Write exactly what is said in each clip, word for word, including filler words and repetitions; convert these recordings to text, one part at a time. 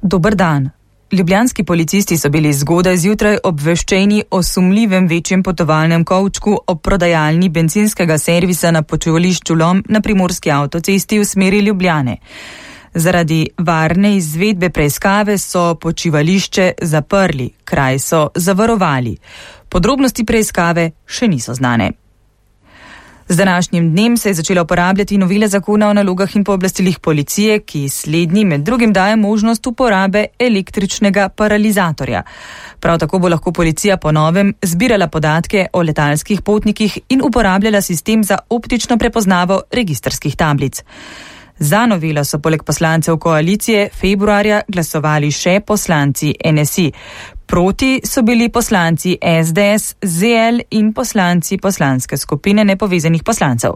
Dober dan. Ljubljanski policisti so bili zgodaj zjutraj obveščeni o sumljivem večjem potovalnem kovčku ob prodajalni bencinskega servisa na počivališču Lom na primorski avtocesti v smeri Ljubljane. Zaradi varne izvedbe preiskave so počivališče zaprli, kraj so zavarovali. Podrobnosti preiskave še niso znane. Z današnjim dnem se je začela uporabljati novela zakona o nalogah in pooblastilih policije, ki slednji med drugim daje možnost uporabe električnega paralizatorja. Prav tako bo lahko policija po novem zbirala podatke o letalskih potnikih in uporabljala sistem za optično prepoznavo registrskih tablic. Za novelo so poleg poslancev koalicije februarja glasovali še poslanci N S I. Proti so bili poslanci S D S, Z L in poslanci poslanske skupine nepovezanih poslancev.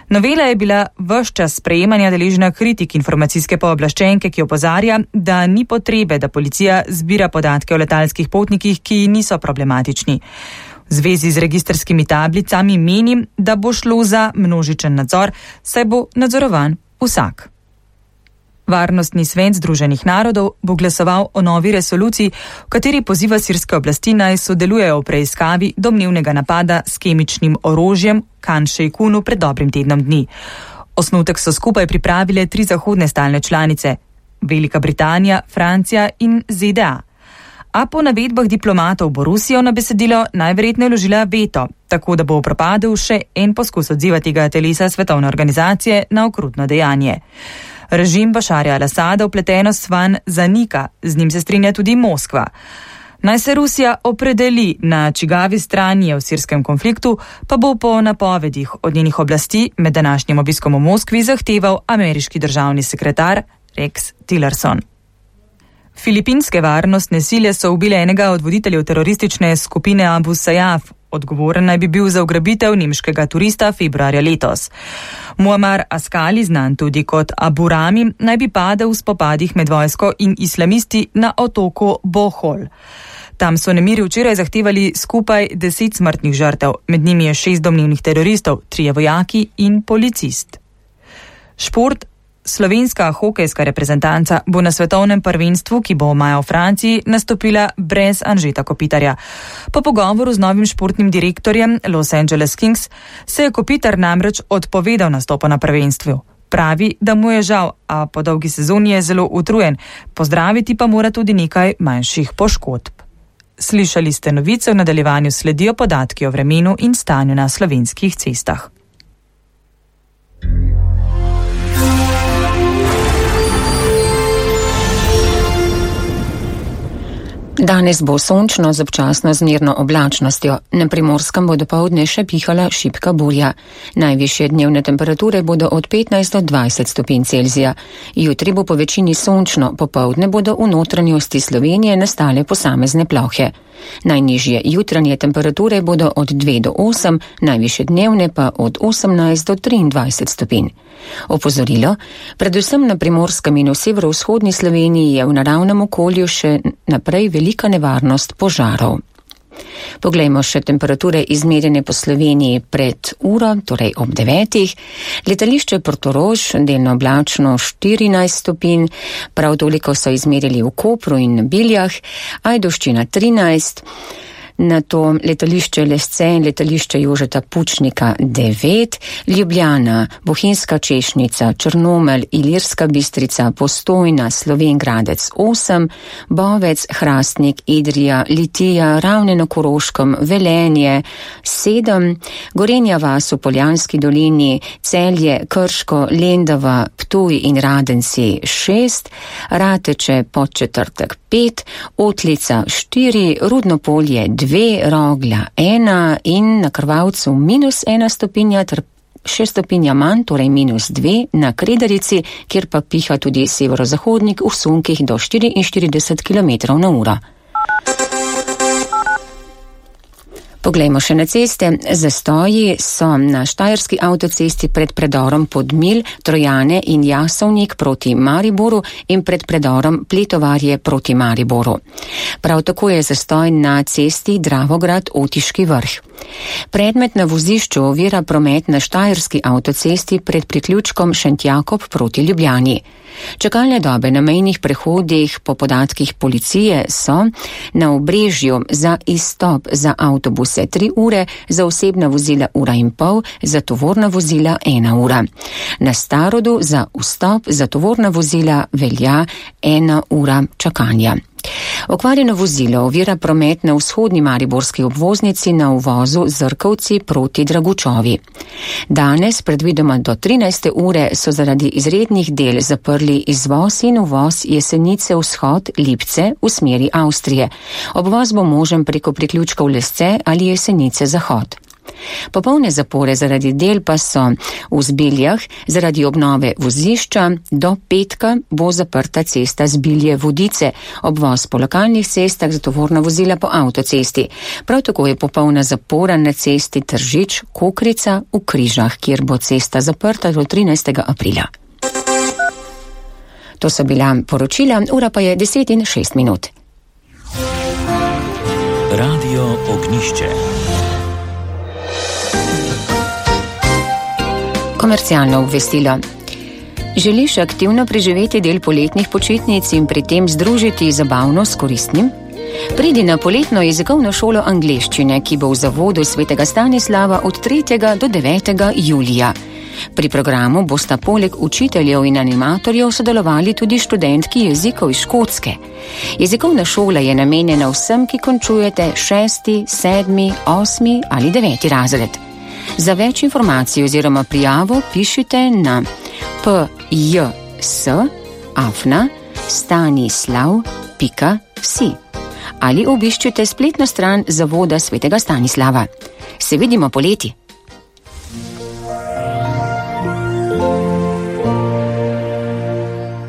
Novela je bila ves čas sprejemanja deležna kritik informacijske pooblaščenke, ki opozarja, da ni potrebe, da policija zbira podatke o letalskih potnikih, ki niso problematični. V zvezi z registrskimi tablicami menim, da bo šlo za množičen nadzor, saj bo nadzorovan vsak. Varnostni svet Združenih narodov bo glasoval o novi resoluciji, v kateri poziva sirske oblasti naj sodelujejo v preiskavi domnevnega napada s kemičnim orožjem Khan Sheikhounu pred dobrim tednom dni. Osnutek so skupaj pripravile tri zahodne stalne članice, Velika Britanija, Francija in Z D A. A po navedbah diplomatov bo Rusija na besedilo najverjetneje vložila veto, tako da bo propadel še en poskus odziva tega telesa svetovne organizacije na okrutno dejanje. Režim Bašarja al-Asada vpletenost vanj zanika, z njim se strinja tudi Moskva. Naj se Rusija opredeli, na čigavi strani je v sirskem konfliktu, pa bo po napovedih od njenih oblasti med današnjim obiskom v Moskvi zahteval ameriški državni sekretar Rex Tillerson. Filipinske varnostne sile so ubile enega od voditeljev teroristične skupine Abu Sayyaf. Odgovoren naj bi bil za ugrabitev nemškega turista februarja letos. Muammar Askali, znan tudi kot Abu Rami, naj bi padel v spopadih med vojsko in islamisti na otoku Bohol. Tam so nemiri včeraj zahtevali skupaj deset smrtnih žrtev, med njimi je šest domnevnih teroristov, trije vojaki in policist. Šport. Slovenska hokejska reprezentanca bo na svetovnem prvenstvu, ki bo maja v Franciji, nastopila brez Anžeta Kopitarja. Po pogovoru z novim športnim direktorjem Los Angeles Kings se je Kopitar namreč odpovedal nastopu na prvenstvu. Pravi, da mu je žal, a po dolgi sezoni je zelo utrujen, pozdraviti pa mora tudi nekaj manjših poškodb. Slišali ste novice, v nadaljevanju sledijo podatki o vremenu in stanju na slovenskih cestah. Danes bo sončno z občasno zmerno oblačnostjo. Na Primorskem bo dopoldne še pihala šibka burja. Najvišje dnevne temperature bodo od petnajst do dvajset stopinj Celzija. Jutri bo po večini sončno, popoldne bodo v notranjosti Slovenije nastale posamezne plohe. Najnižje jutranje temperature bodo od dve do osem, najvišje dnevne pa od osemnajst do triindvajset stopinj. Opozorilo, predvsem na Primorskem in v severovzhodni Sloveniji je v naravnem okolju še naprej velika nevarnost požarov. Poglejmo še temperature izmerjene po Sloveniji pred uro, torej ob devetih. Letališče Portorož, delno oblačno štirinajst stopinj, prav toliko so izmerili v Kopru in Biljah, Ajdovščina trinajst, nato letališče Lesce in letališče Jožeta Pučnika devet, Ljubljana, Bohinjska Češnica, Črnomelj, Ilirska Bistrica, Postojna, Slovenj Gradec osem, Bovec, Hrastnik, Idrija, Litija, Ravne na Koroškem, Velenje sedem, Gorenja vas v Poljanski dolini, Celje, Krško, Lendava, Ptuj in Radenci šest, Rateče, Podčetrtek pet, Otlica štiri, Rudno Polje dve, Rogla ena in na Krvavcu minus ena stopinja ter šest stopinja manj, torej minus dve na Kredarici, kjer pa piha tudi severozahodnik v sunkih do štiriinštirideset kilometrov na uro. Poglejmo še na ceste. Zastoji so na Štajerski avtocesti pred predorom Podmilj, Trojane in Jasovnik proti Mariboru in pred predorom Pletovarje proti Mariboru. Prav tako je zastoj na cesti Dravograd-Otiški Vrh. Predmet na vozišču ovira promet na Štajerski avtocesti pred priključkom Šentjakob proti Ljubljani. Čakalne dobe na mejnih prehodih po podatkih policije so na Obrežju za izstop za avtobuse tri ure, za osebna vozila ura in pol, za tovorna vozila ena ura. Na Starodu za vstop za tovorna vozila velja ena ura čakanja. Okvarjeno vozilo ovira promet na vzhodni mariborski obvoznici na uvozu Zrkovci proti Dragučovi. Danes, predvidoma do trinajste ure, so zaradi izrednih del zaprli izvoz in uvoz Jesenice vzhod Lipce v smeri Avstrije. Obvoz bo možen preko priključkov Lesce ali Jesenice zahod. Popolne zapore zaradi del pa so v Zbiljah, zaradi obnove vozišča do petka bo zaprta cesta Zbilje-Vodice, obvoz po lokalnih cestah za tovorna vozila po avtocesti. Prav tako je popolna zapora na cesti Tržič-Kokrica v Križah, kjer bo cesta zaprta do trinajstega aprila. To so bila poročila, ura pa je deset in šest minut. Radio Ognišče. Komercialno obvestilo. Želiš aktivno preživeti del poletnih počitnic in pri tem združiti zabavno s koristnim? Pridi na poletno jezikovno šolo angleščine, ki bo v zavodu Svetega Stanislava od tretjega do devetega julija. Pri programu bosta poleg učiteljev in animatorjev sodelovali tudi študentki jezikov iz Škotske. Jezikovna šola je namenjena vsem, ki končujete šesti, sedmi, osmi ali deveti razred. Za več informacij oziroma prijavo pišite na pjs afna stanislav pika si ali obiščite spletno stran Zavoda Svetega Stanislava. Se vidimo poleti!